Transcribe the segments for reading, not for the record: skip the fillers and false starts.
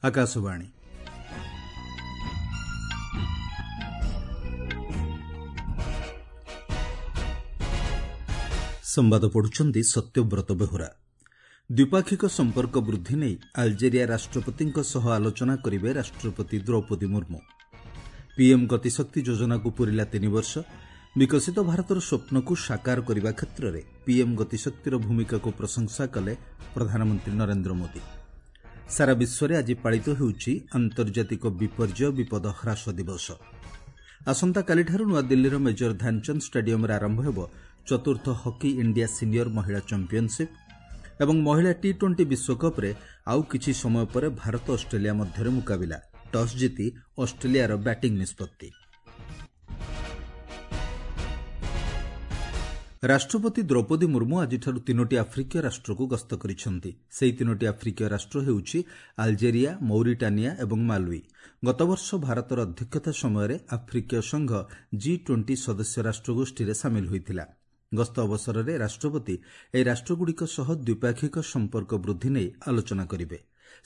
ଆକାଶବାଣୀ। ସମ୍ବାଦ ପଢୁଛନ୍ତି ସତ୍ୟବ୍ରତ ବେହୁରା। ଦ୍ୱିପାକ୍ଷିକ ସମ୍ପର୍କ ବୃଦ୍ଧି ନେଇ ଆଲଜେରିଆ ରାଷ୍ଟ୍ରପତିଙ୍କ ସହ ଆଲୋଚନା କରିବେ ରାଷ୍ଟ୍ରପତି ଦ୍ରୌପଦୀ ମୁର୍ମୁ। ପିଏମ୍ ଗତିଶକ୍ତି ଯୋଜନାକୁ ପୂରିଲା 3 ବର୍ଷ। ବିକଶିତ ଭାରତର ସ୍ୱପ୍ନକୁ ସାକାର କରିବା କ୍ଷେତ୍ରରେ ପିଏମ୍ ଗତିଶକ୍ତିର ଭୂମିକାକୁ ପ୍ରଶଂସା କଲେ ପ୍ରଧାନମନ୍ତ୍ରୀ ନରେନ୍ଦ୍ର ମୋଦି। ସାରା ବିଶ୍ୱରେ ଆଜି ପାଳିତ ହେଉଛି ଆନ୍ତର୍ଜାତିକ ବିପର୍ଯ୍ୟୟ ବିପଦ ହ୍ରାସ ଦିବସ। ଆସନ୍ତାକାଲିଠାରୁ ନୂଆଦିଲ୍ଲୀର ମେଜର ଧ୍ୟାନଚାନ୍ଦ ଷ୍ଟାଡିୟମରେ ଆରମ୍ଭ ହେବ ଚତୁର୍ଥ ହକି ଇଣ୍ଡିଆ ସିନିୟର ମହିଳା ଚାମ୍ପିୟନସିପ୍ ଏବଂ ମହିଳା ଟି-20 ବିଶ୍ୱକପ୍ରେ ଆଉ କିଛି ସମୟ ପରେ ଭାରତ ଅଷ୍ଟ୍ରେଲିଆ ମଧ୍ୟରେ ମୁକାବିଲା। ଟସ୍ ଜିତି ଅଷ୍ଟ୍ରେଲିଆର ବ୍ୟାଟିଂ ନିଷ୍ପତ୍ତି। ରାଷ୍ଟ୍ରପତି ଦ୍ରୌପଦୀ ମୁର୍ମୁ ଆଜିଠାରୁ 3ଟି ଆଫ୍ରିକୀୟ ରାଷ୍ଟ୍ରକୁ ଗସ୍ତ କରିଛନ୍ତି। ସେହି 3ଟି ଆଫ୍ରିକୀୟ ରାଷ୍ଟ୍ର ହେଉଛି ଆଲଜେରିଆ, ମୌରିଟାନିଆ ଏବଂ ମାଲୱି। ଗତବର୍ଷ ଭାରତର ଅଧ୍ୟକ୍ଷତା ସମୟରେ ଆଫ୍ରିକୀୟ ସଂଘ ଜି-20 ସଦସ୍ୟ ରାଷ୍ଟ୍ରଗୋଷ୍ଠୀରେ ସାମିଲ ହୋଇଥିଲା। ଗସ୍ତ ଅବସରରେ ରାଷ୍ଟ୍ରପତି ଏହି ରାଷ୍ଟ୍ରଗୁଡ଼ିକ ସହ ଦ୍ୱିପାକ୍ଷିକ ସମ୍ପର୍କ ବୃଦ୍ଧି ନେଇ ଆଲୋଚନା କରିବେ।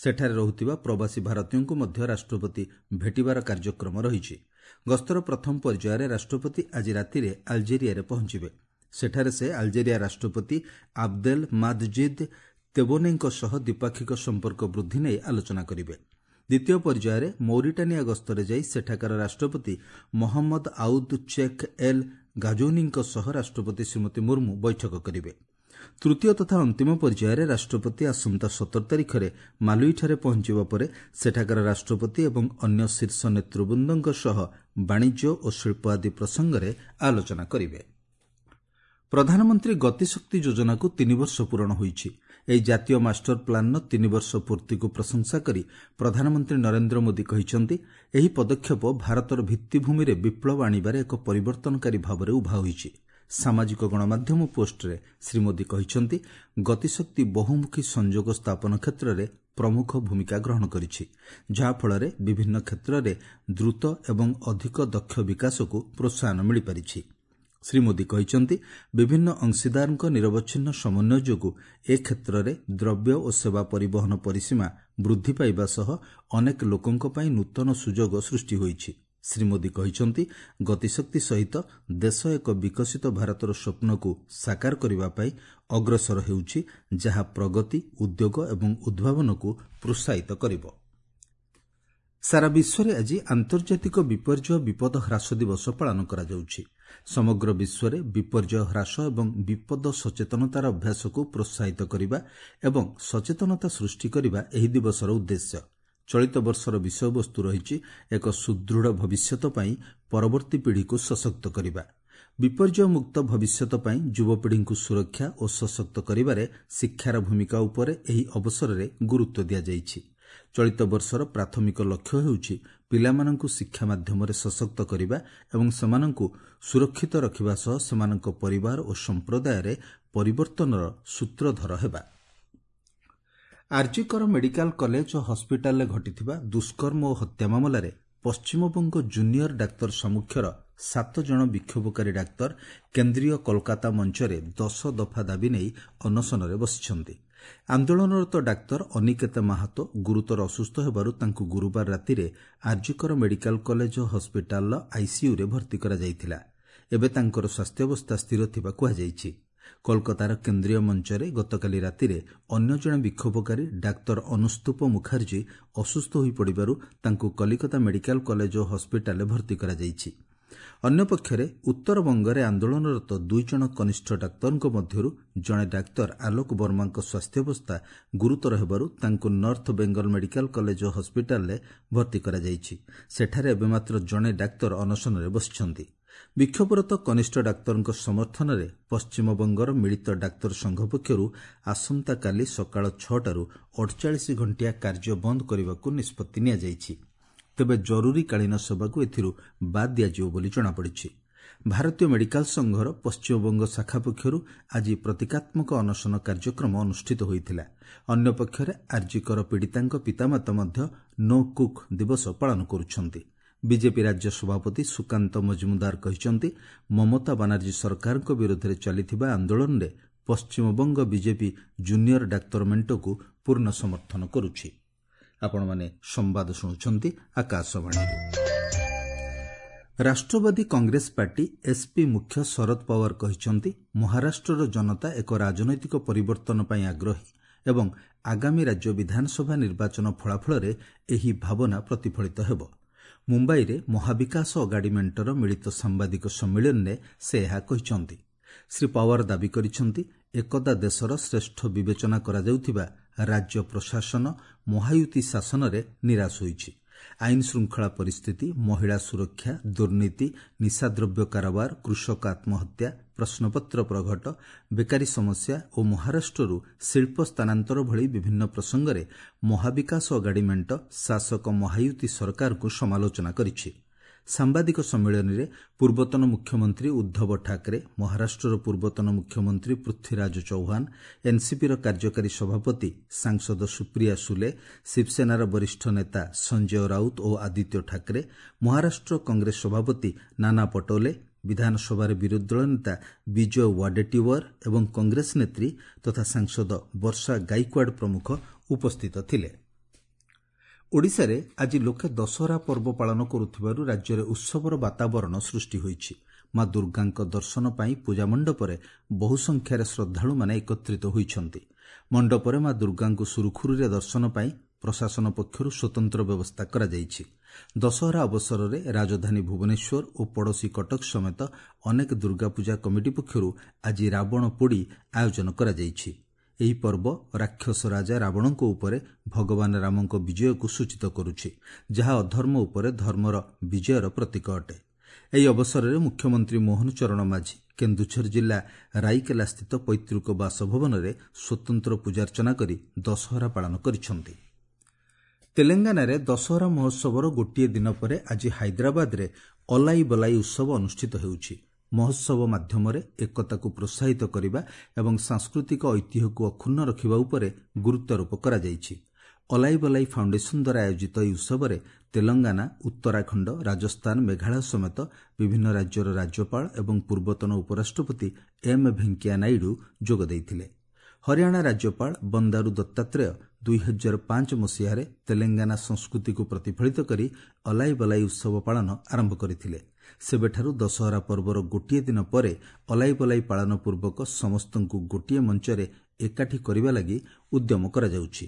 ସେଠାରେ ରହୁଥିବା ପ୍ରବାସୀ ଭାରତୀୟଙ୍କୁ ମଧ୍ୟ ରାଷ୍ଟ୍ରପତି ଭେଟିବାର କାର୍ଯ୍ୟକ୍ରମ ରହିଛି। ଗସ୍ତର ପ୍ରଥମ ପର୍ଯ୍ୟାୟରେ ରାଷ୍ଟ୍ରପତି ଆଜି ରାତିରେ ଆଲଜେରିଆରେ ପହଞ୍ଚିବେ। ସେଠାରେ ସେ ଆଲଜେରିଆ ରାଷ୍ଟ୍ରପତି ଆବଦେଲ ମାଦଜିଦ୍ ତେବୋନେଙ୍କ ସହ ଦ୍ୱିପାକ୍ଷିକ ସମ୍ପର୍କ ବୃଦ୍ଧି ନେଇ ଆଲୋଚନା କରିବେ। ଦ୍ୱିତୀୟ ପର୍ଯ୍ୟାୟରେ ମୌରିଟାନିଆ ଗସ୍ତରେ ଯାଇ ସେଠାକାର ରାଷ୍ଟ୍ରପତି ମହମ୍ମଦ ଆଉଦ ଚେକ୍ ଏଲ୍ ଗାଜୌନିଙ୍କ ସହ ରାଷ୍ଟ୍ରପତି ଶ୍ରୀମତୀ ମୁର୍ମୁ ବୈଠକ କରିବେ। ତୃତୀୟ ତଥା ଅନ୍ତିମ ପର୍ଯ୍ୟାୟରେ ରାଷ୍ଟ୍ରପତି ଆସନ୍ତା 17 ତାରିଖରେ ମାଲୁଇଠାରେ ପହଞ୍ଚିବା ପରେ ସେଠାକାର ରାଷ୍ଟ୍ରପତି ଏବଂ ଅନ୍ୟ ଶୀର୍ଷ ନେତୃବୃନ୍ଦଙ୍କ ସହ ବାଣିଜ୍ୟ ଓ ଶିଳ୍ପ ଆଦି ପ୍ରସଙ୍ଗରେ ଆଲୋଚନା କରିବେ। ପ୍ରଧାନମନ୍ତ୍ରୀ ଗତିଶକ୍ତି ଯୋଜନାକୁ 3 ବର୍ଷ ପୂରଣ ହୋଇଛି। ଏହି ଜାତୀୟ ମାଷ୍ଟର ପ୍ଲାନ୍ର 3 ବର୍ଷ ପୂର୍ତ୍ତିକୁ ପ୍ରଶଂସା କରି ପ୍ରଧାନମନ୍ତ୍ରୀ ନରେନ୍ଦ୍ର ମୋଦି କହିଛନ୍ତି, ଏହି ପଦକ୍ଷେପ ଭାରତର ଭିତ୍ତିଭୂମିରେ ବିପ୍ଳବ ଆଣିବାରେ ଏକ ପରିବର୍ତ୍ତନକାରୀ ଭାବରେ ଉଭା ହୋଇଛି। ସାମାଜିକ ଗଣମାଧ୍ୟମ ପୋଷ୍ଟରେ ଶ୍ରୀ ମୋଦି କହିଛନ୍ତି, ଗତିଶକ୍ତି ବହୁମୁଖୀ ସଂଯୋଗ ସ୍ଥାପନ କ୍ଷେତ୍ରରେ ପ୍ରମୁଖ ଭୂମିକା ଗ୍ରହଣ କରିଛି, ଯାହାଫଳରେ ବିଭିନ୍ନ କ୍ଷେତ୍ରରେ ଦ୍ରୁତ ଏବଂ ଅଧିକ ଦକ୍ଷ ବିକାଶକୁ ପ୍ରୋତ୍ସାହନ ମିଳିପାରିଛି। ଶ୍ରୀ ମୋଦି କହିଛନ୍ତି, ବିଭିନ୍ନ ଅଂଶୀଦାରଙ୍କ ନିରବଚ୍ଛିନ୍ନ ସମନ୍ୱୟ ଯୋଗୁଁ ଏ କ୍ଷେତ୍ରରେ ଦ୍ରବ୍ୟ ଓ ସେବା ପରିବହନ ପରିସୀମା ବୃଦ୍ଧି ପାଇବା ସହ ଅନେକ ଲୋକଙ୍କ ପାଇଁ ନୂତନ ସୁଯୋଗ ସୃଷ୍ଟି ହୋଇଛି। ଶ୍ରୀ ମୋଦି କହିଛନ୍ତି, ଗତିଶକ୍ତି ସହିତ ଦେଶ ଏକ ବିକଶିତ ଭାରତର ସ୍ୱପ୍ନକୁ ସାକାର କରିବା ପାଇଁ ଅଗ୍ରସର ହେଉଛି, ଯାହା ପ୍ରଗତି, ଉଦ୍ୟୋଗ ଏବଂ ଉଦ୍ଭାବନକୁ ପ୍ରୋତ୍ସାହିତ କରିବ। ସାରା ବିଶ୍ୱରେ ଆଜି ଆନ୍ତର୍ଜାତିକ ବିପର୍ଯ୍ୟୟ ବିପଦ ହ୍ରାସ ଦିବସ ପାଳନ କରାଯାଉଛି। ସମଗ୍ର ବିଶ୍ୱରେ ବିପର୍ଯ୍ୟୟ ହ୍ରାସ ଏବଂ ବିପଦ ସଚେତନତାର ଅଭ୍ୟାସକୁ ପ୍ରୋତ୍ସାହିତ କରିବା ଏବଂ ସଚେତନତା ସୃଷ୍ଟି କରିବା ଏହି ଦିବସର ଉଦ୍ଦେଶ୍ୟ। ଚଳିତ ବର୍ଷର ବିଷୟବସ୍ତୁ ରହିଛି ଏକ ସୁଦୃଢ଼ ଭବିଷ୍ୟତ ପାଇଁ ପରବର୍ତ୍ତୀ ପିଢ଼ିକୁ ସଶକ୍ତ କରିବା। ବିପର୍ଯ୍ୟୟମୁକ୍ତ ଭବିଷ୍ୟତ ପାଇଁ ଯୁବପିଢ଼ିଙ୍କୁ ସୁରକ୍ଷା ଓ ସଶକ୍ତ କରିବାରେ ଶିକ୍ଷାର ଭୂମିକା ଉପରେ ଏହି ଅବସରରେ ଗୁରୁତ୍ୱ ଦିଆଯାଇଛି। ଚଳିତ ବର୍ଷର ପ୍ରାଥମିକ ଲକ୍ଷ୍ୟ ହେଉଛି ପିଲାମାନଙ୍କୁ ଶିକ୍ଷା ମାଧ୍ୟମରେ ସଶକ୍ତ କରିବା ଏବଂ ସେମାନଙ୍କୁ ସୁରକ୍ଷିତ ରଖିବା ସହ ସେମାନଙ୍କ ପରିବାର ଓ ସମ୍ପ୍ରଦାୟରେ ପରିବର୍ତ୍ତନର ସୂତ୍ରଧର ହେବା। ଆର୍ଜିକର ମେଡିକାଲ କଲେଜ ଓ ହସ୍ପିଟାଲରେ ଘଟିଥିବା ଦୁଷ୍କର୍ମ ଓ ହତ୍ୟା ମାମଲାରେ ପଶ୍ଚିମବଙ୍ଗ ଜୁନିୟର ଡାକ୍ତର ସାମ୍ମୁଖ୍ୟର 7 ଜଣ ବିକ୍ଷୋଭକାରୀ ଡାକ୍ତର କେନ୍ଦ୍ରୀୟ କୋଲକାତା ମଞ୍ଚରେ 10 ଦଫା ଦାବି ନେଇ ଅନଶନରେ ବସିଛନ୍ତି। ଆନ୍ଦୋଳନରତ ଡାକ୍ତର ଅନିକେତ ମାହାତୋ ଗୁରୁତର ଅସୁସ୍ଥ ହେବାରୁ ତାଙ୍କୁ ଗୁରୁବାର ରାତିରେ ଆର୍ଜିକର ମେଡିକାଲ କଲେଜ ଓ ହସ୍ପିଟାଲର ଆଇସିୟୁରେ ଭର୍ତ୍ତି କରାଯାଇଥିଲା। ଏବେ ତାଙ୍କର ସ୍ୱାସ୍ଥ୍ୟାବସ୍ଥା ସ୍ଥିର ଥିବା କୁହାଯାଇଛି। କୋଲକାତାର କେନ୍ଦ୍ରୀୟ ମଞ୍ଚରେ ଗତକାଲି ରାତିରେ ଅନ୍ୟ ଜଣେ ବିକ୍ଷୋଭକାରୀ ଡାକ୍ତର ଅନୁସ୍ତୁପ ମୁଖାର୍ଜୀ ଅସୁସ୍ଥ ହୋଇପଡ଼ିବାରୁ ତାଙ୍କୁ କଲିକତା ମେଡିକାଲ କଲେଜ ଓ ହସ୍ପିଟାଲରେ ଭର୍ତ୍ତି କରାଯାଇଛି। ଅନ୍ୟପକ୍ଷରେ ଉତ୍ତରବଙ୍ଗରେ ଆନ୍ଦୋଳନରତ 2 ଜଣ କନିଷ୍ଠ ଡାକ୍ତରଙ୍କ ମଧ୍ୟରୁ ଜଣେ ଡାକ୍ତର ଆଲୋକ ବର୍ମାଙ୍କ ସ୍ୱାସ୍ଥ୍ୟାବସ୍ଥା ଗୁରୁତର ହେବାରୁ ତାଙ୍କୁ ନର୍ଥ ବେଙ୍ଗଲ ମେଡିକାଲ କଲେଜ ଓ ହସ୍ପିଟାଲରେ ଭର୍ତ୍ତି କରାଯାଇଛି। ସେଠାରେ ଏବେ ମାତ୍ର ଜଣେ ଡାକ୍ତର ଅନଶନରେ ବସିଛନ୍ତି। ବିକ୍ଷୋଭରତ କନିଷ୍ଠ ଡାକ୍ତରଙ୍କ ସମର୍ଥନରେ ପଶ୍ଚିମବଙ୍ଗର ମିଳିତ ଡାକ୍ତର ସଂଘ ପକ୍ଷରୁ ଆସନ୍ତାକାଲି ସକାଳ 6ଟାରୁ 48 ଘଣ୍ଟିଆ କାର୍ଯ୍ୟ ବନ୍ଦ କରିବାକୁ ନିଷ୍ପତ୍ତି ନିଆଯାଇଛି। ତେବେ ଜରୁରୀକାଳୀନ ସେବାକୁ ଏଥିରୁ ବାଦ୍ ଦିଆଯିବ ବୋଲି ଜଣାପଡ଼ିଛି। ଭାରତୀୟ ମେଡିକାଲ ସଂଘର ପଶ୍ଚିମବଙ୍ଗ ଶାଖା ପକ୍ଷରୁ ଆଜି ପ୍ରତୀକାତ୍ମକ ଅନଶନ କାର୍ଯ୍ୟକ୍ରମ ଅନୁଷ୍ଠିତ ହୋଇଥିଲା। ଅନ୍ୟପକ୍ଷରେ ଆର୍ଜିକର ପୀଡ଼ିତାଙ୍କ ପିତାମାତା ମଧ୍ୟ ନୋ କୁକ୍ ଦିବସ ପାଳନ କରୁଛନ୍ତି। ବିଜେପି ରାଜ୍ୟ ସଭାପତି ସୁକାନ୍ତ ମଜୁମଦାର କହିଛନ୍ତି, ମମତା ବାନାର୍ଜୀ ସରକାରଙ୍କ ବିରୋଧରେ ଚାଲିଥିବା ଆନ୍ଦୋଳନରେ ପଶ୍ଚିମବଙ୍ଗ ବିଜେପି ଜୁନିୟର ଡାକ୍ତର ମେଣ୍ଟକୁ ପୂର୍ଣ୍ଣ ସମର୍ଥନ କରୁଛି। ଆପଣମାନେ ସମ୍ବାଦ ଶୁଣୁଛନ୍ତି ଆକାଶବାଣୀରୁ। ରାଷ୍ଟ୍ରବାଦୀ କଂଗ୍ରେସ ପାର୍ଟି ଏସ୍ପି ମୁଖ୍ୟ ଶରଦ ପାୱାର କହିଛନ୍ତି, ମହାରାଷ୍ଟ୍ରର ଜନତା ଏକ ରାଜନୈତିକ ପରିବର୍ତ୍ତନ ପାଇଁ ଆଗ୍ରହୀ ଏବଂ ଆଗାମୀ ରାଜ୍ୟ ବିଧାନସଭା ନିର୍ବାଚନ ଫଳାଫଳରେ ଏହି ଭାବନା ପ୍ରତିଫଳିତ ହେବ। ମୁମ୍ବାଇରେ ମହାବିକାଶ ଅଗାଡ଼ି ମେଣ୍ଟର ମିଳିତ ସାମ୍ବାଦିକ ସମ୍ମିଳନୀରେ ସେ ଏହା କହିଛନ୍ତି। ଶ୍ରୀ ପାୱାର ଦାବି କରିଛନ୍ତି, ଏକଦା ଦେଶର ଶ୍ରେଷ୍ଠ ବିବେଚନା କରାଯାଉଥିବା ରାଜ୍ୟ ପ୍ରଶାସନ ମହାୟୁତି ଶାସନରେ ନିରାଶ ହୋଇଛି। ଆଇନ ଶୃଙ୍ଖଳା ପରିସ୍ଥିତି, ମହିଳା ସୁରକ୍ଷା, ଦୁର୍ନୀତି, ନିଶାଦ୍ରବ୍ୟ କାରବାର, କୃଷକ ଆତ୍ମହତ୍ୟା, ପ୍ରଶ୍ନପତ୍ର ପ୍ରଘଟ, ବେକାରୀ ସମସ୍ୟା ଓ ମହାରାଷ୍ଟ୍ରରୁ ଶିଳ୍ପ ସ୍ଥାନାନ୍ତର ଭଳି ବିଭିନ୍ନ ପ୍ରସଙ୍ଗରେ ମହାବିକାଶ ଅଗାଡ଼ି ମେଣ୍ଟ ଶାସକ ମହାୟୁତି ସରକାରଙ୍କୁ ସମାଲୋଚନା କରିଛି। ସାମ୍ବାଦିକ ସମ୍ମିଳନୀରେ ପୂର୍ବତନ ମୁଖ୍ୟମନ୍ତ୍ରୀ ଉଦ୍ଧବ ଠାକରେ, ମହାରାଷ୍ଟ୍ରର ପୂର୍ବତନ ମୁଖ୍ୟମନ୍ତ୍ରୀ ପୃଥ୍ୱୀରାଜ ଚୌହାନ, ଏନ୍ସିପିର କାର୍ଯ୍ୟକାରୀ ସଭାପତି ସାଂସଦ ସୁପ୍ରିୟା ସୁଲେ, ଶିବସେନାର ବରିଷ୍ଠ ନେତା ସଞ୍ଜୟ ରାଉତ ଓ ଆଦିତ୍ୟ ଠାକରେ, ମହାରାଷ୍ଟ୍ର କଂଗ୍ରେସ ସଭାପତି ନାନା ପଟୋଲେ, ବିଧାନସଭାରେ ବିରୋଧୀ ଦଳ ନେତା ବିଜୟ ୱାଡେଟିୱାର ଏବଂ କଂଗ୍ରେସ ନେତ୍ରୀ ତଥା ସାଂସଦ ବର୍ଷା ଗାଇକ୍ୱାଡ ପ୍ରମୁଖ ଉପସ୍ଥିତ ଥିଲେ। ଓଡ଼ିଶାରେ ଆଜି ଲୋକେ ଦଶହରା ପର୍ବ ପାଳନ କରୁଥିବାରୁ ରାଜ୍ୟରେ ଉତ୍ସବର ବାତାବରଣ ସୃଷ୍ଟି ହୋଇଛି। ମା ଦୁର୍ଗାଙ୍କ ଦର୍ଶନ ପାଇଁ ପୂଜା ମଣ୍ଡପରେ ବହୁ ସଂଖ୍ୟାରେ ଶ୍ରଦ୍ଧାଳୁମାନେ ଏକତ୍ରିତ ହୋଇଛନ୍ତି। ମଣ୍ଡପରେ ମା ଦୁର୍ଗାଙ୍କୁ ସୁରୁଖୁରୁରେ ଦର୍ଶନ ପାଇଁ ପ୍ରଶାସନ ପକ୍ଷରୁ ସ୍ୱତନ୍ତ୍ର ବ୍ୟବସ୍ଥା କରାଯାଇଛି। ଦଶହରା ଅବସରରେ ରାଜଧାନୀ ଭୁବନେଶ୍ୱର ଓ ପଡ଼ୋଶୀ କଟକ ସମେତ ଅନେକ ଦୁର୍ଗାପୂଜା କମିଟି ପକ୍ଷରୁ ଆଜି ରାବଣ ପୋଡ଼ି ଆୟୋଜନ କରାଯାଇଛି। ଏହି ପର୍ବ ରାକ୍ଷସ ରାଜା ରାବଣଙ୍କ ଉପରେ ଭଗବାନ ରାମଙ୍କ ବିଜୟକୁ ସୂଚିତ କରୁଛି, ଯାହା ଅଧର୍ମ ଉପରେ ଧର୍ମର ବିଜୟର ପ୍ରତୀକ ଅଟେ। ଏହି ଅବସରରେ ମୁଖ୍ୟମନ୍ତ୍ରୀ ମୋହନ ଚରଣ ମାଝୀ କେନ୍ଦୁଝର ଜିଲ୍ଲା ରାଇକେଲାସ୍ଥିତ ପୈତୃକ ବାସଭବନରେ ସ୍ୱତନ୍ତ୍ର ପୂଜାର୍ଚ୍ଚନା କରି ଦଶହରା ପାଳନ କରିଛନ୍ତି। ତେଲେଙ୍ଗାନାରେ ଦଶହରା ମହୋତ୍ସବର ଗୋଟିଏ ଦିନ ପରେ ଆଜି ହାଇଦ୍ରାବାଦରେ ଅଲାଇ ବଲାଇ ଉତ୍ସବ ଅନୁଷ୍ଠିତ ହେଉଛି। ମହୋତ୍ସବ ମାଧ୍ୟମରେ ଏକତାକୁ ପ୍ରୋତ୍ସାହିତ କରିବା ଏବଂ ସାଂସ୍କୃତିକ ଐତିହ୍ୟକୁ ଅକ୍ଷୁଣ୍ଣ ରଖିବା ଉପରେ ଗୁରୁତ୍ୱାରୋପ କରାଯାଇଛି। ଅଲାଇ ବଲାଇ ଫାଉଣ୍ଡେସନ ଦ୍ୱାରା ଆୟୋଜିତ ଏହି ଉତ୍ସବରେ ତେଲଙ୍ଗାନା, ଉତ୍ତରାଖଣ୍ଡ, ରାଜସ୍ଥାନ, ମେଘାଳୟ ସମେତ ବିଭିନ୍ନ ରାଜ୍ୟର ରାଜ୍ୟପାଳ ଏବଂ ପୂର୍ବତନ ଉପରାଷ୍ଟ୍ରପତି ଏମ୍ ଭେଙ୍କିୟା ନାଇଡୁ ଯୋଗ ଦେଇଥିଲେ। ହରିୟାଣା ରାଜ୍ୟପାଳ ବନ୍ଦାରୁ ଦତ୍ତାତ୍ରେୟ 2005 ମସିହାରେ ତେଲେଙ୍ଗାନା ସଂସ୍କୃତିକୁ ପ୍ରତିଫଳିତ କରି ଅଲାଇ ବଲାଇ ଉତ୍ସବ ପାଳନ ଆରମ୍ଭ କରିଥିଲେ। ସେବେଠାରୁ ଦଶହରା ପର୍ବର ଗୋଟିଏ ଦିନ ପରେ ଅଲାଇ ବଲାଇ ପାଳନ ପୂର୍ବକ ସମସ୍ତଙ୍କୁ ଗୋଟିଏ ମଞ୍ଚରେ ଏକାଠି କରିବା ଲାଗି ଉଦ୍ୟମ କରାଯାଉଛି।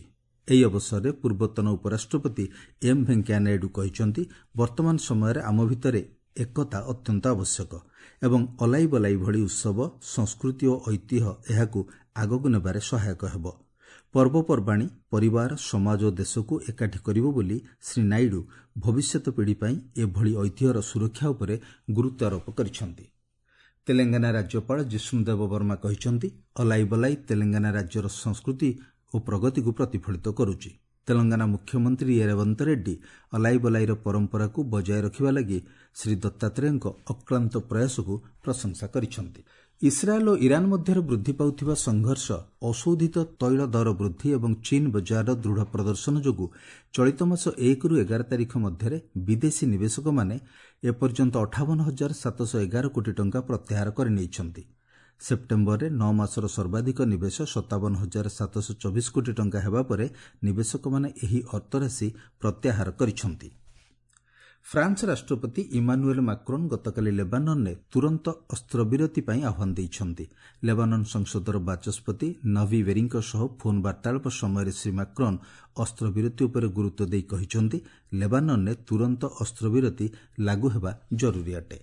ଏହି ଅବସରରେ ପୂର୍ବତନ ଉପରାଷ୍ଟ୍ରପତି ଏମ୍ ଭେଙ୍କିୟା ନାଇଡୁ କହିଛନ୍ତି, ବର୍ତ୍ତମାନ ସମୟରେ ଆମ ଭିତରେ ଏକତା ଅତ୍ୟନ୍ତ ଆବଶ୍ୟକ ଏବଂ ଅଲାଇ ବଲାଇ ଭଳି ଉତ୍ସବ ସଂସ୍କୃତି ଓ ଐତିହ୍ୟ ଏହାକୁ ଆଗକୁ ନେବାରେ ସହାୟକ ହେବ। ପର୍ବପର୍ବାଣୀ ପରିବାର, ସମାଜ ଓ ଦେଶକୁ ଏକାଠି କରିବ ବୋଲି ଶ୍ରୀ ନାଇଡୁ ଭବିଷ୍ୟତ ପିଢ଼ି ପାଇଁ ଏଭଳି ଐତିହ୍ୟର ସୁରକ୍ଷା ଉପରେ ଗୁରୁତ୍ୱାରୋପ କରିଛନ୍ତି। ତେଲେଙ୍ଗାନା ରାଜ୍ୟପାଳ ଜିଷ୍ଣୁଦେବ ବର୍ମା କହିଛନ୍ତି, ଅଲାଇ ବଲାଇ ତେଲେଙ୍ଗାନା ରାଜ୍ୟର ସଂସ୍କୃତି ଓ ପ୍ରଗତିକୁ ପ୍ରତିଫଳିତ କରୁଛି। ତେଲଙ୍ଗାନା ମୁଖ୍ୟମନ୍ତ୍ରୀ ରେବନ୍ତ ରେଡ୍ଡି ଅଲାଇ ବଲାଇର ପରମ୍ପରାକୁ ବଜାୟ ରଖିବା ଲାଗି ଶ୍ରୀ ଦତ୍ତାତ୍ରେୟଙ୍କ ଅକ୍ଳାନ୍ତ ପ୍ରୟାସକୁ ପ୍ରଶଂସା କରିଛନ୍ତି। ଇସ୍ରାଏଲ୍ ଓ ଇରାନ ମଧ୍ୟରେ ବୃଦ୍ଧି ପାଉଥିବା ସଂଘର୍ଷ, ଅଶୋଧିତ ତୈଳ ଦର ବୃଦ୍ଧି ଏବଂ ଚୀନ୍ ବଜାରର ଦୃଢ଼ ପ୍ରଦର୍ଶନ ଯୋଗୁଁ ଚଳିତ ମାସ 1ରୁ 11 ତାରିଖ ମଧ୍ୟରେ ବିଦେଶୀ ନିବେଶକମାନେ ଏପର୍ଯ୍ୟନ୍ତ 58,711 କୋଟି ଟଙ୍କା ପ୍ରତ୍ୟାହାର କରିନେଇଛନ୍ତି। ସେପ୍ଟେମ୍ବରରେ 9 ମାସର ସର୍ବାଧିକ ନିବେଶ 57,724 କୋଟି ଟଙ୍କା ହେବା ପରେ ନିବେଶକମାନେ ଏହି ଅର୍ଥରାଶି ପ୍ରତ୍ୟାହାର କରିଛନ୍ତି। ଫ୍ରାନ୍ସ ରାଷ୍ଟ୍ରପତି ଇମାନୁଏଲ୍ ମାକ୍ରୋନ୍ ଗତକାଲି ଲେବାନନରେ ତୁରନ୍ତ ଅସ୍ତ୍ରବିରତି ପାଇଁ ଆହ୍ୱାନ ଦେଇଛନ୍ତି। ଲେବାନନ ସଂସଦର ବାଚସ୍ପତି ନଭି ବେରିଙ୍କ ସହ ଫୋନ୍ ବାର୍ତ୍ତାଳାପ ସମୟରେ ଶ୍ରୀ ମାକ୍ରୋନ୍ ଅସ୍ତ୍ରବିରତି ଉପରେ ଗୁରୁତ୍ୱ ଦେଇ କହିଛନ୍ତି, ଲେବାନନରେ ତୁରନ୍ତ ଅସ୍ତ୍ରବିରତି ଲାଗୁ ହେବା ଜରୁରୀ ଅଟେ।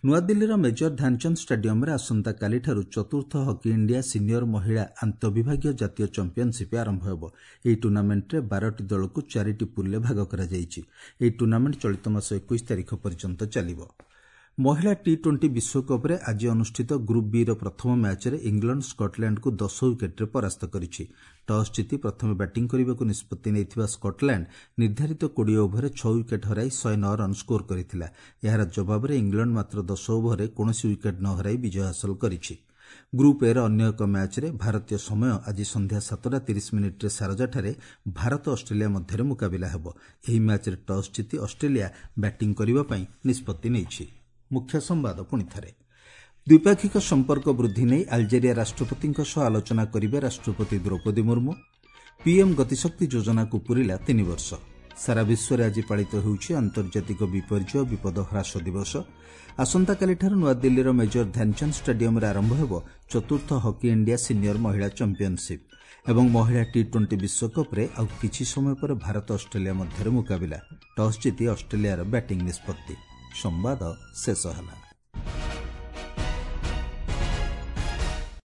ନୂଆଦିଲ୍ଲୀର ମେଜର ଧ୍ୟାନଚାନ୍ଦ ଷ୍ଟାଡିୟମରେ ଆସନ୍ତାକାଲିଠାରୁ ଚତୁର୍ଥ ହକି ଇଣ୍ଡିଆ ସିନିୟର ମହିଳା ଆନ୍ତଃବିଭାଗୀୟ ଜାତୀୟ ଚାମ୍ପିୟନସିପ୍ ଆରମ୍ଭ ହେବ। ଏହି ଟୁର୍ଣ୍ଣାମେଣ୍ଟରେ 12ଟି ଦଳକୁ 4ଟି ପୁଲ୍ରେ ଭାଗ କରାଯାଇଛି। ଏହି ଟୁର୍ଣ୍ଣାମେଣ୍ଟ ଚଳିତ ମାସ 21 ତାରିଖ ପର୍ଯ୍ୟନ୍ତ ଚାଲିବ। ମହିଳା ଟି-20 ବିଶ୍ୱକପ୍ରେ ଆଜି ଅନୁଷ୍ଠିତ ଗ୍ରୁପ୍ ବିର ପ୍ରଥମ ମ୍ୟାଚ୍ରେ ଇଂଲଣ୍ଡ ସ୍କଟଲ୍ୟାଣ୍ଡକୁ 10 ୱିକେଟ୍ରେ ପରାସ୍ତ କରିଛି। ଟସ୍ ଜିତି ପ୍ରଥମେ ବ୍ୟାଟିଂ କରିବାକୁ ନିଷ୍ପତ୍ତି ନେଇଥିବା ସ୍କଟଲ୍ୟାଣ୍ଡ ନିର୍ଦ୍ଧାରିତ 20 ଓଭରରେ 6 ୱିକେଟ୍ ହରାଇ 109 ରନ୍ ସ୍କୋର କରିଥିଲା। ଏହାର ଜବାବରେ ଇଂଲଣ୍ଡ ମାତ୍ର 10 ଓଭରରେ କୌଣସି ୱିକେଟ୍ ନ ହରାଇ ବିଜୟ ହାସଲ କରିଛି। ଗ୍ରୁପ୍ ଏର ଅନ୍ୟ ଏକ ମ୍ୟାଚ୍ରେ ଭାରତୀୟ ସମୟ ଆଜି ସନ୍ଧ୍ୟା 7:30 ସାରଜାଠାରେ ଭାରତ ଅଷ୍ଟ୍ରେଲିଆ ମଧ୍ୟରେ ମୁକାବିଲା ହେବ। ଏହି ମ୍ୟାଚ୍ରେ ଟସ୍ ଜିତି ଅଷ୍ଟ୍ରେଲିଆ ବ୍ୟାଟିଂ କରିବା ପାଇଁ ନିଷ୍ପତ୍ତି ନେଇଛି। ମୁଖ୍ୟ ସମ୍ବାଦ ପୁଣିଥରେ। ଦ୍ୱିପାକ୍ଷିକ ସମ୍ପର୍କ ବୃଦ୍ଧି ନେଇ ଆଲଜେରିଆ ରାଷ୍ଟ୍ରପତିଙ୍କ ସହ ଆଲୋଚନା କରିବେ ରାଷ୍ଟ୍ରପତି ଦ୍ରୌପଦୀ ମୁର୍ମୁ। ପିଏମ୍ ଗତିଶକ୍ତି ଯୋଜନାକୁ ପୂରିଲା 3 ବର୍ଷ। ସାରା ବିଶ୍ୱରେ ଆଜି ପାଳିତ ହେଉଛି ଆନ୍ତର୍ଜାତିକ ବିପର୍ଯ୍ୟୟ ବିପଦ ହ୍ରାସ ଦିବସ। ଆସନ୍ତାକାଲିଠାରୁ ନୂଆଦିଲ୍ଲୀର ମେଜର ଧ୍ୟାନଚାନ୍ଦ ଷ୍ଟାଡିୟମରେ ଆରମ୍ଭ ହେବ ଚତୁର୍ଥ ହକି ଇଣ୍ଡିଆ ସିନିୟର ମହିଳା ଚାମ୍ପିୟନସିପ୍। ଏବଂ ମହିଳା ଟି-20 ବିଶ୍ୱକପ୍ରେ ଆଉ କିଛି ସମୟ ପରେ ଭାରତ ଅଷ୍ଟ୍ରେଲିଆ ମଧ୍ୟରେ ମୁକାବିଲା। ଟସ୍ ଜିତି ଅଷ୍ଟ୍ରେଲିଆର ବ୍ୟାଟିଂ ନିଷ୍ପତ୍ତି। ସମ୍ବାଦ ଶେଷ ହେଲା।